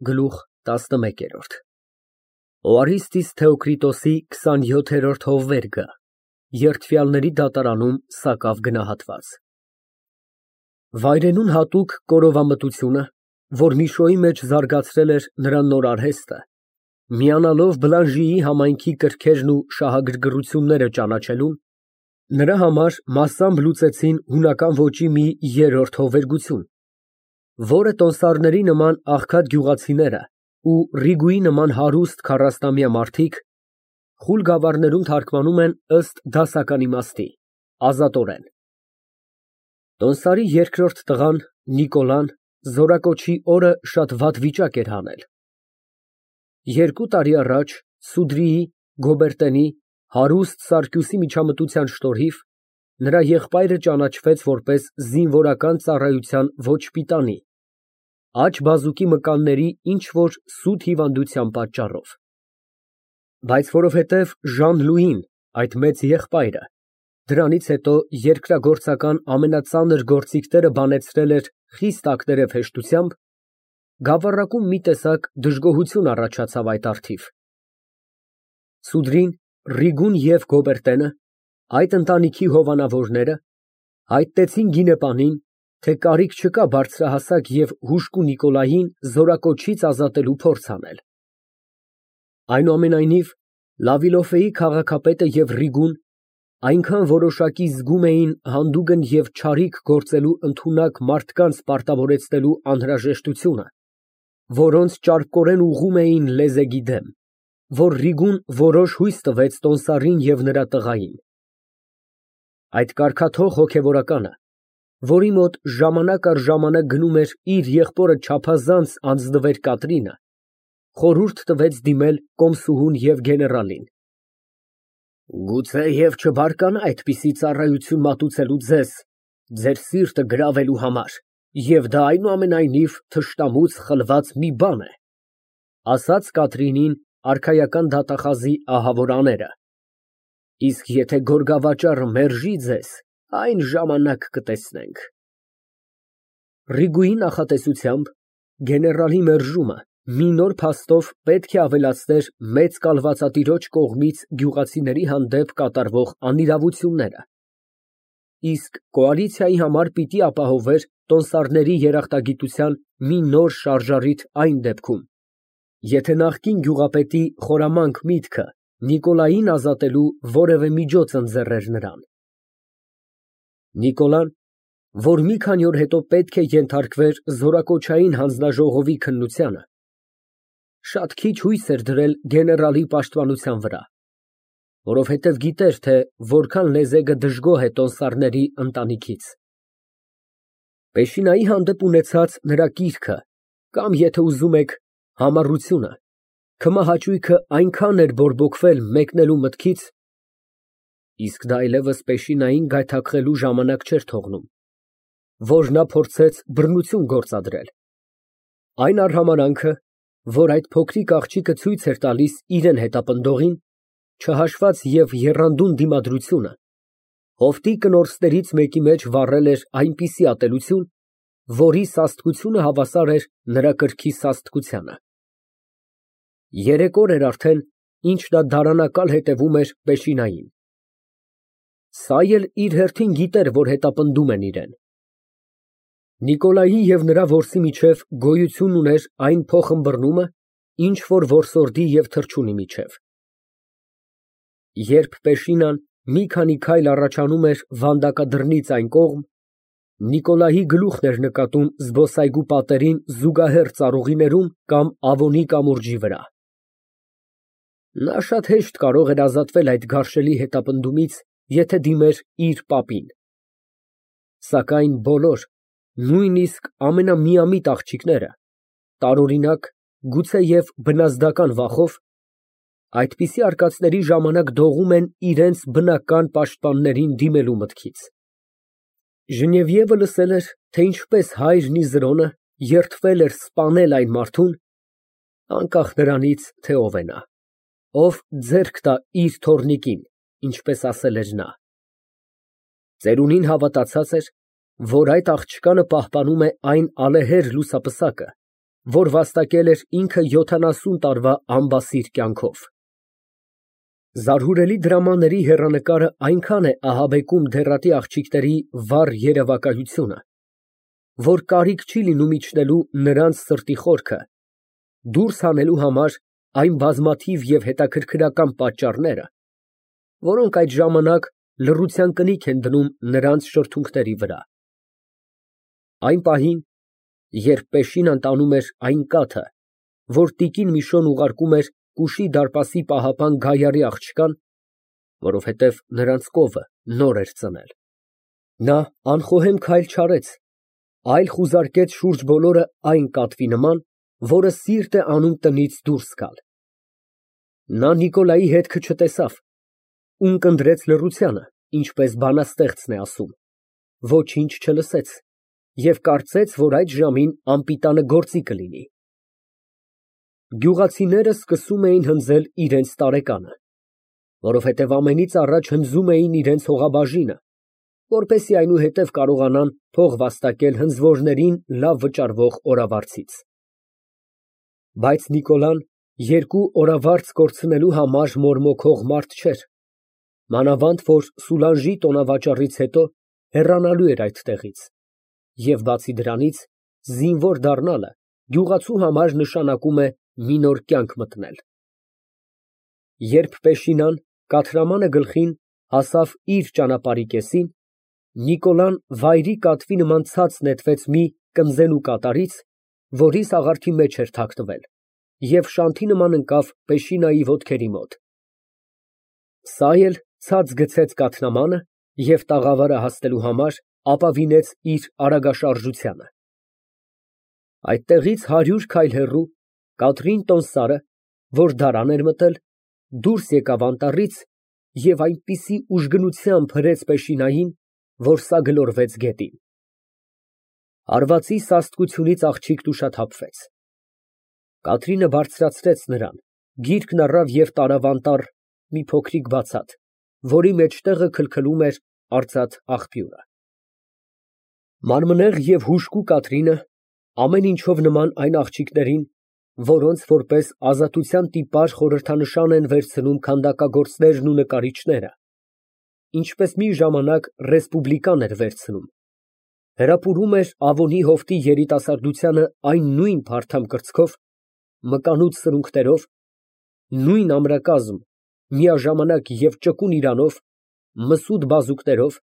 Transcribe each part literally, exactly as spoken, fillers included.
Գլուխ տասնմեկ։ Օարիստիս Թեոկրիտոսի քսանյոթերորդ հովվերգը, Երդվյալների դատարանում սակավ գնահատված։ Վայրենուն հատուկ կորովամտությունը, որ Միշոյի մեջ զարգացրել էր նրա նոր արհեստը, միանալով Բլանժիի համայնքի կրքերն ու շահագրգռությունները ճանաչելուն, նրա համար մասամբ լուծեցին հունական ոճի մի երրորդ հովվերգություն, որը տոնդսարների նման աղքատ գյուղացիները ու Ռիգուի նման հարուստ քառասնամյա մարդիկ խուլ գավառներում թարգմանում են ըստ դասական իմաստի, ազատորեն։ Տոնդսարի երկրորդ տղան Նիկոլան զորակոչի օրը շատ վատ վիճակ էր հանել։ Երկու տարի առաջ Սուդրիի, Գոբերտենի, հարուստ Սարգիսի միջամտության շնորհիվ նրա եղբայրը ճանաչվեց որպես զինվորական ծառայության ոչ պիտանի, աջ բազուկի մկանների ինչ֊որ սուտ հիվանդության պատճառով։ Բայց որովհետև Ժան֊Լուին, այդ մեծ եղբայրը, դրանից հետո երկրագործական ամենածանր գործիքները բանեցրել էր խիստ ակներև հեշտությամբ, գավառակում մի տեսակ դժգոհություն առաջացավ այդ առթիվ։ Սուդրին, Ռիգուն և Գոբերտենը, այդ ընտանիքի հովանավորները, հայտնեցին գինեպանին, թե կարիք չկա բարձրահասակ և հուժկու Նիկոլային զորակոչից ազատելու փորձ անել։ Այնուամենայնիվ, Լավիլոֆեի քաղաքապետը և Ռիգուն այնքան որոշակի զգում էին հանդուգն և չարիք գործելու ընդունակ մարդկանց պարտավորեցնելու անհրաժեշտությունը, որոնց ճարպկորեն ուղղում էին լեզեգի դեմ, որ Ռիգուն որոշ հույս տվեց տոնդսարին և նրա տղային։ Այդ կարգաթող հոգևորականը, որի մոտ ժամանակ առ ժամանակ գնում էր իր եղբորը չափազանց անձնվեր Կատրինը, խորհուրդ տվեց դիմել կոմսուհուն և գեներալին։ Գուցեև չբարկանա այդպիսի ծառայություն մատուցելու ձեզ, ձեր սիրտը գրավելու համար, և դա այնուամենայնիվ թշնամուց խլված մի բան է, ասաց Կատրինին արքայական դատախազի ահավոր աները, իսկ եթե գորգավաճառը մերժի ձեզ, այն ժամանակ կտեսնենք։ Ռիգուի նախատեսությամբ գեներալի մերժումը մի նոր փաստով պետք է ավելացներ մեծ կալվածատիրոջ կողմից գյուղացիների հանդեպ կատարվող անիրավությունները, իսկ կոալիցիայի համար պիտի ապահովեր տոնդսարների երախտագիտության մի նոր շարժառիթ այն դեպքում, եթե նախկին գյուղապետի խորամանկ միտքը Նիկոլային ազատելու որևէ միջոց ընձեռեր նրան։ Նիկոլան, որ մի քանի օր հետո պետք է ենթարկվեր զորակոչային հանձնաժողովի քննությանը, շատ քիչ հույս էր դրել գեներալի պաշտպանության վրա, որովհետև գիտեր, թե որքան լեզեգը դժգոհ է տոնդսարների ընտանիքից։ Պեշինայի հանդեպ ունեցած նրա կիրքը կամ, եթե ուզում եք, համառությունը, քմահաճույքը այնքան էր բորբոքվել մեկնելու մտքից, իսկ դա այլևս Պեշինային գայթակղելու ժամանակ չէր թողնում, որ նա փորձեց բռնություն գործադրել։ Այն արհամարհանքը, որ այդ փոքրիկ աղջիկը ցույց էր տալիս իրան հետապնդողին, չհաշված և եռանդուն դիմադրությունը, հովտի կնորսներից մեկի մեջ վառել էր այնպիսի ատելություն, որի սաստկությունը հավասար էր նրա կրքի սաստկությանը։ Երեք օր էր արդեն, ինչ նա դարանակալ հետևում էր Պեշինային։ Սա էլ իր հերթին գիտեր, որ հետապնդում են իրան։ Նիկոլայի և նրա որսի միջև գոյություն ուներ այն փոխըմբռնումը, ինչ որ որսորդի և թռչունի միջև։ Երբ Պեշինան մի քանի քայլ առաջանում էր վանդակադրնից այն կողմ, Նիկոլայի գլուխն էր նկատում զբոսայգու պատերին զուգահեռ ծառուղիներում կամ Ավոնի կամուրջի վրա։ Նա շատ հեշտ կարող էր ազատվել այդ գարշելի հետապնդումից, եթե դիմեր իր պապին։ Սակայն բոլոր, նույնիսկ ամենամիամիտ աղջիկները, տարօրինակ, գուցեև բնազդական վախով, այդպիսի արկածների ժամանակ դողում են իրենց բնական պաշտպաններին դիմելու մտքից։ Ժնևիևը լսել էր, թե ինչպես հայրն Իզրոնը երդվել էր սպանել այն մարդուն, անկախ նրանից, թե ով է նա, ով ձեռք տա իր թոռնիկին, ինչպես ասել էր նա։ Ծերունին հավատացած էր, որ այդ աղջկանը պահպանում է այն ալեհեր լուսապսակը, որ վաստակել էր ինքը յոթանասուն տարվա անբասիր կյանքով։ Զարհուրելի դրամաների հեռանկարը այնքան է ահաբեկում դեռատի աղջիկների վառ երևակայությունը, որ կարիք չի լինում իջնելու նրանց սրտի խորքը, դուրս հանելու համար այն բազմաթիվ և հետաքրքրական պատճառները, որոնք այդ ժամանակ լռության կնիք են դնում նրանց շրթունքների վրա։ Այն պահին, երբ Պեշինան տանում էր այն կաթը, որ տիկին Միշոն ուղարկում էր կուշի դարպասի պահապան Գայարի աղջկան, որովհետև նրանց կովը նոր էր ծնել, նա անխոհեմ քայլ չարեց, այլ խուզարկեց շուրջ բոլորը այն կատվի նման, որը սիրտ է անում տնից դուրս գալ։ Նա Նիկոլայի հետքը չտեսավ, ունկնդրեց լռությանը, ինչպես բանաստեղծն է ասում, ոչինչ չլսեց և կարծեց, որ այդ ժամին անպիտանը գործի կլինի։ Գյուղացիները սկսում էին հնձել իրենց տարեկանը, որովհետև ամենից առաջ հնձում էին իրենց հողաբաժինը, որպեսզի այնուհետև կարողանան փող վաստակել հնձվորներին լավ վճարվող օրավարձից։ Բայց Նիկոլան երկու օրավարձ կորցնելու համար մորմոքող մարդ չէր, մանավանդ որ Սուլանժի տոնավաճառից հետո հեռանալու էր այդտեղից, և բացի դրանից, զինվոր դառնալը գյուղացու համար նշանակում է մի նոր կյանք մտնել։ Երբ Պեշինան կաթրամանը գլխին հասավ իր ճանապարհի կեսին, Նիկոլան վայրի կատվի նման ցած նետվեց մի կնձենու կատարից, որի սաղարթի մեջ էր թաքնվել, և շանթի նման ընկավ Պեշինայի ոտքերի մոտ։ Սա էլ ցած գցեց կաթնամանը և տաղավարը հասնելու համար ապավինեց իր արագաշարժությանը։ Այդտեղից հարյուր քայլ հեռու Կատրին Տոնսարը, որ դարան էր մտել, դուրս եկավ անտառից և այնպիսի ուժգնությամբ հրեց Պեշինային, որ սա գլորվեց գետին։ Հարվածի սաստկությունից աղջիկն ուշաթափվեց։ Կատրինը բարձրացրեց նրան, գիրկն առավ և տարավ անտառ մի փոքրիկ բացատ, որի մեջտեղը քլքլում էր արծաթ աղբյուրը։ Մանմնեղ և հուժկու Կատրինը, ամեն ինչով նման այն աղջիկներին, որոնց որպես ազատության տիպար խորհրդանշան են վերցնում քանդակագործներն ու նկարիչները, ինչպես մի ժամանակ ռեսպուբլիկան էր վերցնում, հրապուրում էր Ավոնի հովտի երիտասարդությանը այն նույն փարթամ կրծքով, մկանուց սրունքներով, նույն ամրակազմ, միաժամանակ և ճկուն իրանով, մսուտ բազուկներով,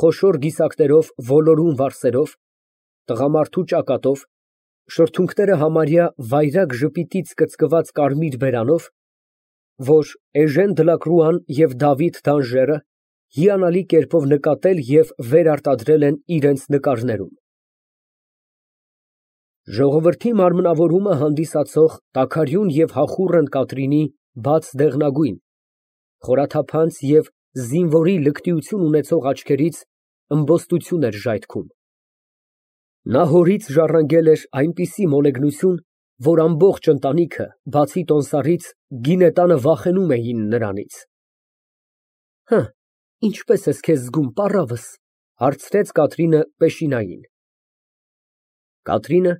խոշոր գիսակներով ոլորուն վարսերով, տղամարդու ճակատով, շրթունքները համարյա վայրագ ժպիտից կծկված կարմիր բերանով, որ Էժեն Դլակրուան և Դավիթ Դանժերը հիանալի կերպով նկատել և վերարտադրել են իրենց նկարներում։ Ժողովրդի մարմնավորումը հանդիսացող տաքարյուն և հախուռն Կատրինի բաց դեղնագույն, խորաթափանց և զինվորի լկտիություն ունեցող աչքերից ըմբոստություն էր ժայթքում։ Նա հորից ժառանգել էր այնպիսի մոլեգնություն, որ ամբողջ ընտանիքը, բացի Տոնսարից, գինետանը վախենում էին նրանից։ ֊ Հը, ինչպե՞ս ես քեզ զգում, պառավս, ֊ հարցրեց Կատրինը Պեշինային։ Կատրինը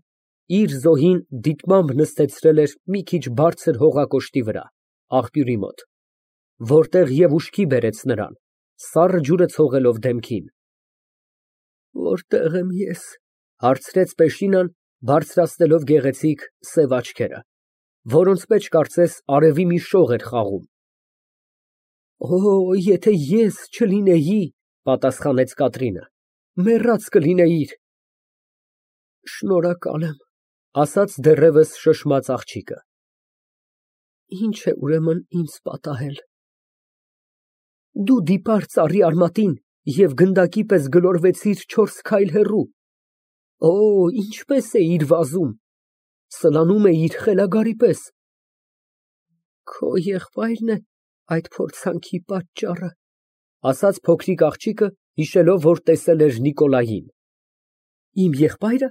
իր զոհին դիտմամբ նստացրել էր մի քիչ բարձր հողակոշտի վրա, աղբյուրի մոտ, որտեղ և ուշքի բերեց նրան, սառը ջուրը ցողելով դեմքին։ ֊ Որտե՞ղ եմ ես, ֊ հարցրեց Պեշինան, բարձրացնելով գեղեցիկ սև աչքերը, որոնց մեջ կարծես արևի մի շող էր խաղում։ ֊ Օ, եթե ես չլինեի, ֊ պատասխանեց Կատրինը, ֊ մեռած կլինեիր։ ֊ Շնորհակալ եմ, ֊ ասաց դեռևս շշմած աղջիկը։ ֊ Ի՞նչ է ուրեմն ինձ պատահել։ ֊ Դու դիպար ծառի արմատին և գնդակի պես գլորվեցիր չորս քայլ հեռու։ Օ, ինչպես էիր վազում, սլանում էիր խելագարի պես։ ֊ Քո եղբայրն է այդ փորձանքի պատճառը, ֊ ասաց փոքրիկ աղջիկը, հիշելով, որ տեսել էր Նիկոլային։ ֊ Իմ եղբայրը։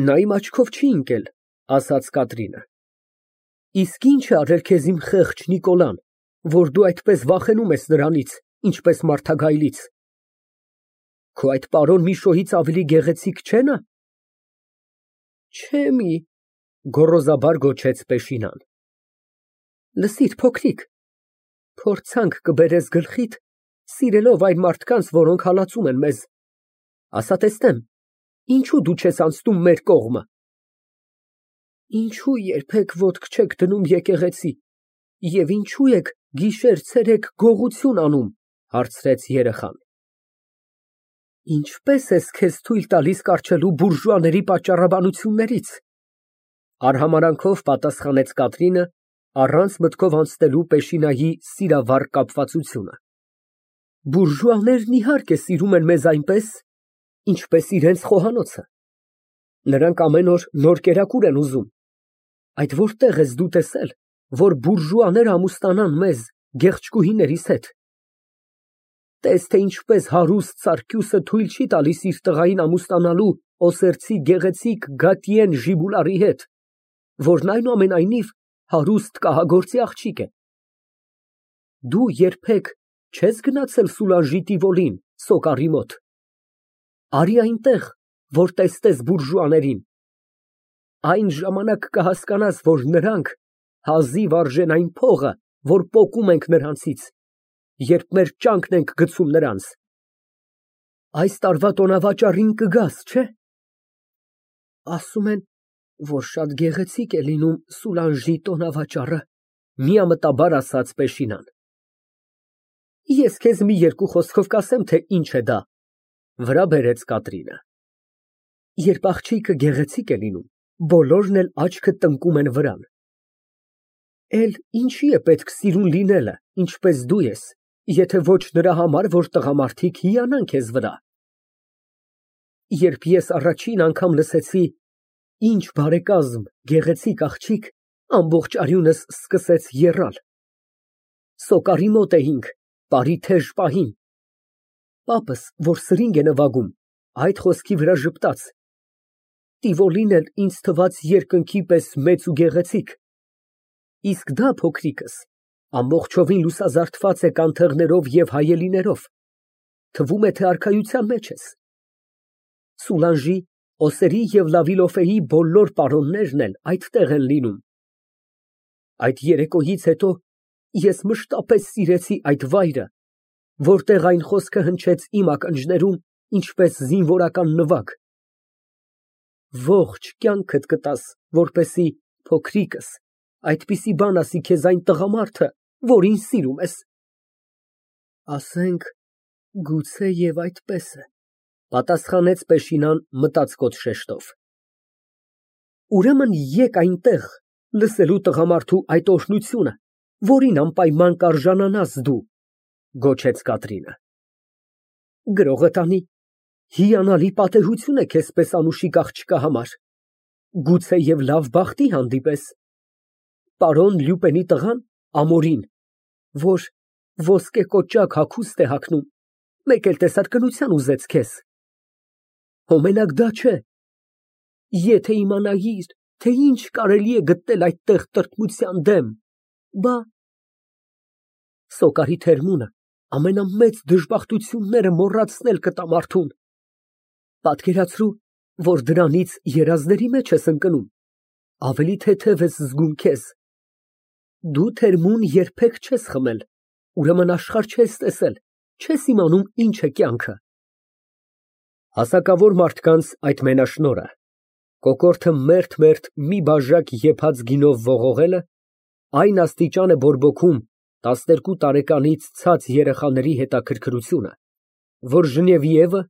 Նա իմ աչքով չի ընկել, ֊ ասաց Կատրինը։ ֊ Իսկ ի՞նչ է արել քեզ իմ խեղճ Նիկոլան, որ դու այդպես վախենում ես նրանից, ինչպես մարդագայլից։ Քո այդ պարոն Միշոյից ավելի գեղեցիկ չէ՞ նա։ Չէ մի, գոռոզաբար գոչեց Պեշինան։ Լսիր, փոքրիկ, փորձանք կբերես գլխիդ, սիրելով այն մարդկանց, որոնք հալածում են մեզ, ասա տեսնեմ, ինչու դու չես անցնում մեր կողմը։ Ինչու երբեք ոտք չեք դնում եկեղեցի, և ինչու եք գիշեր֊ցերեկ գողություն անում, հարցրեց երեխան։ Ինչպե՞ս ես քեզ թույլ տալիս կառչելու բուրժուաների պատճառաբանություններից, արհամարհանքով պատասխանեց Կատրինը, առանց մտքով անցնելու Պեշինայի սիրավառ կապվածությունը։ Բուրժուաներն իհարկե սիրում են մեզ այնպես, ինչպես իրենց խոհանոցը։ Նրանք ամեն օր նոր կերակուր են ուզում։ Այդ որտե՞ղ ես դու տեսել, որ բուրժուաները ամուսնանան մեզ, գեղչկուհիներիս հետ։ Տես, թե ինչպես հարուստ Սարգյուսը թույլ չի տալիս իր տղային ամուսնանալու Օսերցի գեղեցիկ Գատիեն Ժիբուլարի հետ, որն այնուամենայնիվ հարուստ կահագործի աղջիկ է։ Դու երբեք չես գնացել Սուլանժի Տիվոլին, Սոկարի մոտ։ Արի այնտեղ, որ տեսնես բուրժուաներին։ Այն ժամանակ կհասկանաս, որ նրանք հազիվ արժեն այն փողը, որ պոկում ենք նրանցից, երբ մեր ճանկն ենք գցում նրանց։ Այս տարվա տոնավաճառին կգաս, չէ՞։ Ասում են, որ շատ գեղեցիկ է լինում Սուլանժի տոնավաճառը, միամտաբար ասաց Պեշինան։ Ես քեզ մի երկու խոսքով կասեմ, թե ինչ է դա, վրա բերեց Կատրինը։ Երբ աղջիկը գեղեցիկ է լինում, բոլորն էլ աչքը տնկում են վրան։ Էլ ինչի է պետք սիրուն լինելը, ինչպես դու ես, եթե ոչ նրա համար, որ տղամարդիկ հիանան քեզ վրա։ Երբ ես առաջին անգամ լսեցի, ինչ բարեկազմ, գեղեցիկ աղջիկ, ամբողջ արյունս սկսեց եռալ։ Սոկարի մոտ էինք, պարի թեժ պահին։ Պապս, որ սրինգ է նվագում, այդ խոսքի վրա ժպտաց։ Տիվոլին էլ ինձ թվաց երկնքի պես մեծ ու գեղեցիկ։ Իսկ դա, փոքրիկս, ամբողջովին լուսազարդված է կանթեղներով և հայելիներով, թվում է, թե արքայության մեջ ես։ Սուլանժի, Օսերի և Լավիլոֆեի բոլոր պարոններն էլ այդտեղ են լինում։ Այդ երեկոյից հետո ես մշտապես սիրեցի այդ վայրը, որտեղ այն խոսքը հնչեց իմ ականջներում, ինչպես զինվորական նվագ։ Ողջ կյանքդ կտաս, որպեսզի, փոքրիկս, այդպիսի բան ասի քեզ այն տղամարդը, որին սիրում ես։ Ասենք, գուցե և այդպես է, պատասխանեց Պեշինան մտածկոտ շեշտով։ Ուրեմն եկ այնտեղ, լսելու տղամարդու այդ օրհնությունը, որին անպայման կարժանանաս դու, գոչեց Կատրինը։ Գրողը տանի, հիանալի պատեհություն է քեզպես անուշիկ աղջկա համար, գուցե և լավ բախտի հանդիպես։ Պարոն Լյուպենի տղան, Ամորին, որ ոսկե կոճակ հագուստ է հագնում, մեկ էլ տեսարքնության ուզեց քեզ։ Հո մենակ դա չէ։ Եթե իմանայիր, թե ինչ կարելի է գտնել այդտեղ տրտմության դեմ, բա… Սոկարի թերմունը ամենամեծ դժբախտությունները մոռացնել կտա մարդուն։ Պատկերացրու, որ դրանից երազների մեջ ես ընկնում, ավելի թեթև ես զգում քեզ։ Դու թերմուն երբեք չես խմել, ուրեմն աշխարհ չես տեսել, չես իմանում ինչ է կյանքը։ Հասակավոր մարդկանց այդ մենաշնորհը, կոկորդը մերթ֊մերթ մի բաժակ եփած գինով ողողելը, այն աստիճան է բորբոքում տասներկու տարեկանից ցած երեխաների հետաքրքրությունը, որ Ժնևիևը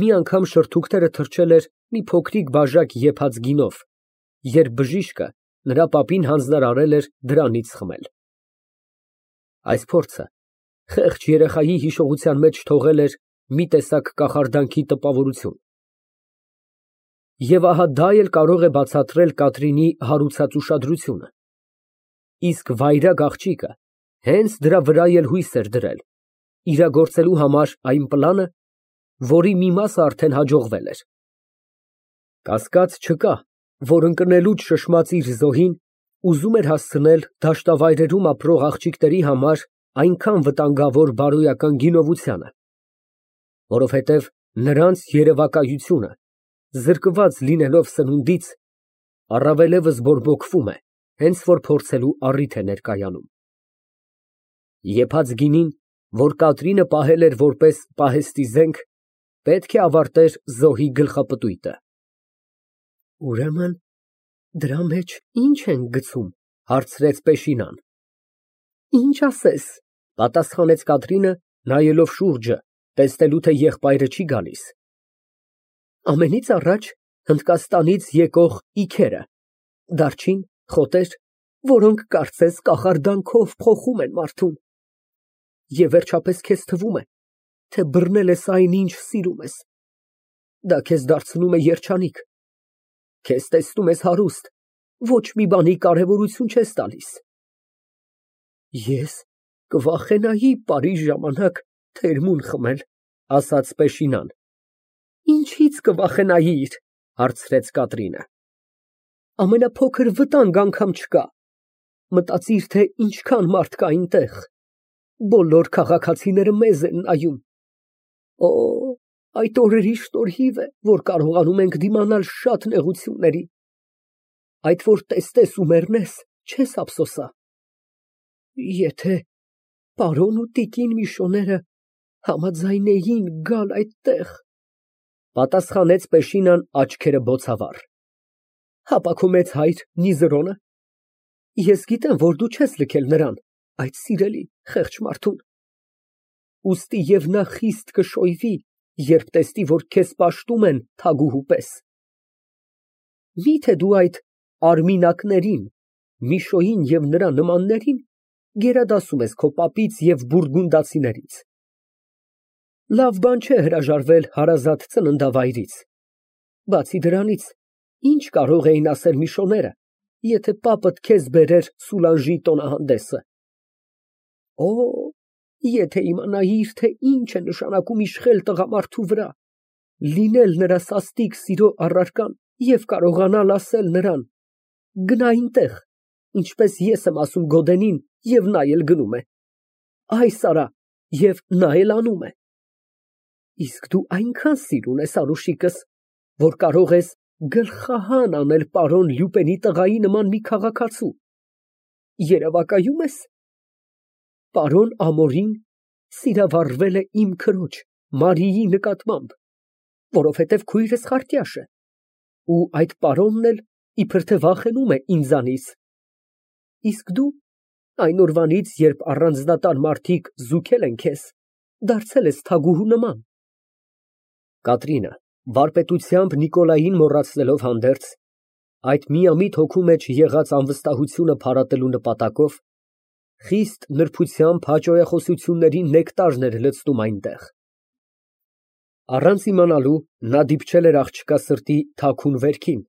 մի անգամ շրթունքները թրջել էր մի փոքրիկ բաժակ եփած գինով, երբ բժիշկը նրա պապին հանձնարարել էր դրանից խմել։ Այս փորձը խեղճ երեխայի հիշողության մեջ թողել էր մի տեսակ կախարդանքի տպավորություն։ Եվ ահա դա էլ կարող է բացատրել Կատրինի հարուցած ուշադրությունը։ Իսկ վայրագ աղջիկը հենց դրա վրա էլ հույս էր դրել, իրագործելու համար այն պլանը, որի մի մասը արդեն հաջողվել էր։ Կասկած չկա, որ ընկնելուց շշմած իր զոհին ուզում էր հասցնել դաշտավայրերում ապրող աղջիկների համար այնքան վտանգավոր բարոյական գինովությանը, որովհետև նրանց երևակայությունը, զրկված լինելով սնունդից, Առավելևս բորբոքվում է, հենց որ փորձելու առիթ է ներկայանում։ Եփած գինին, որ Կատրինը պահել էր որպես պահեստի զենք, պետք է ավարտեր զոհի գլխապտույտը։ Ուրեմն դրա մեջ ի՞նչ են գցում, հարցրեց Պեշինան։ Ինչ ասես, պատասխանեց Կատրինը, նայելով շուրջը, տեսնելու թե եղբայրը չի գալիս։ Ամենից առաջ Հնդկաստանից եկող իքերը, դարչին, խոտեր, որոնք կարծես կախարդանքով փոխում են մարդուն։ Եվ վերջապես քեզ թվում է, թե բռնել ես այն, ինչ սիրում ես։ Դա քեզ դարձնում է երջանիկ։ Քեզ տեսնում ես հարուստ, ոչ մի բանի կարևորություն չես տալիս։ Ես կվախենայի պարի ժամանակ թերմուն խմել, ասաց Պեշինան։ Ինչից կվախենայիր, հարցրեց Կատրինը։ Ամենափոքր վտանգ անգամ չկա։ Մտածիր, թե ինչքան մարդ կա այնտեղ։ Բոլոր քաղաքացիները մեզ են նայում։ Օ, այդ օրերի շնորհիվ է, որ կարողանում ենք դիմանալ շատ նեղությունների։ Այդ որ տեսնես ու մեռնես, չես ափսոսա։ Եթե պարոն ու տիկին Միշոները համաձայնեին գալ այդտեղ, պատասխանեց Պեշինան աչքերը բոցավառ։ Հապա քո մեծ հայր Նիզրոնը։ Ես գիտեմ, որ դու չես լքել նրան, այդ սիրելի խեղճ մարդուն։ Ուստի եւ նա խիստ կշոյվի, երբ տեսնի, որ քեզ պաշտում են թագուհու պես։ Միթե դու այդ արմինակներին, Միշոյին եւ նրա նմաններին գերադասում ես քո պապից եւ բուրգունդացիներից։ Լավ բան չէ հրաժարվել հարազատ ծննդավայրից։ Բացի դրանից, ինչ կարող էին ասել Միշոները, եթե պապդ քեզ բերեր Սուլանժի տոնահանդեսը։ Օ, եթե իմանայիր, թե ինչ է նշանակում իշխել տղամարդու վրա, լինել նրա սաստիկ սիրո առարկան և կարողանալ ասել նրան. գնա այնտեղ, ինչպես ես եմ ասում Գոդենին, և նա էլ գնում է, այս արա, և նա էլ անում է։ Իսկ դու այնքան սիրուն ես անուշիկս, որ կարող ես գլխահան անել պարոն Լյուպենի տղայի նման մի քաղաքացու։ Երևակայում ես։ Պարոն Ամորին սիրավառվել է իմ քրոջ Մարիի նկատմամբ, որովհետև քույրս խարտյաշ է, ու այդ պարոնն էլ իբր թե վախենում է ինձանից։ Իսկ դու այն օրվանից, երբ առանձնատան մարդիկ զուգել են քեզ, դարձել ես թագուհու նման։ Կատրինը, վարպետությամբ Նիկոլային մոռացնելով հանդերձ, այդ միամիտ հոգու մեջ եղած անվստահությունը փարատելու նպատակով, խիստ նրբությամբ հաճոյախոսությունների նեկտարն էր լցնում այնտեղ։ Առանց իմանալու, նա դիպչել էր աղջկա սրտի թաքուն վերքին,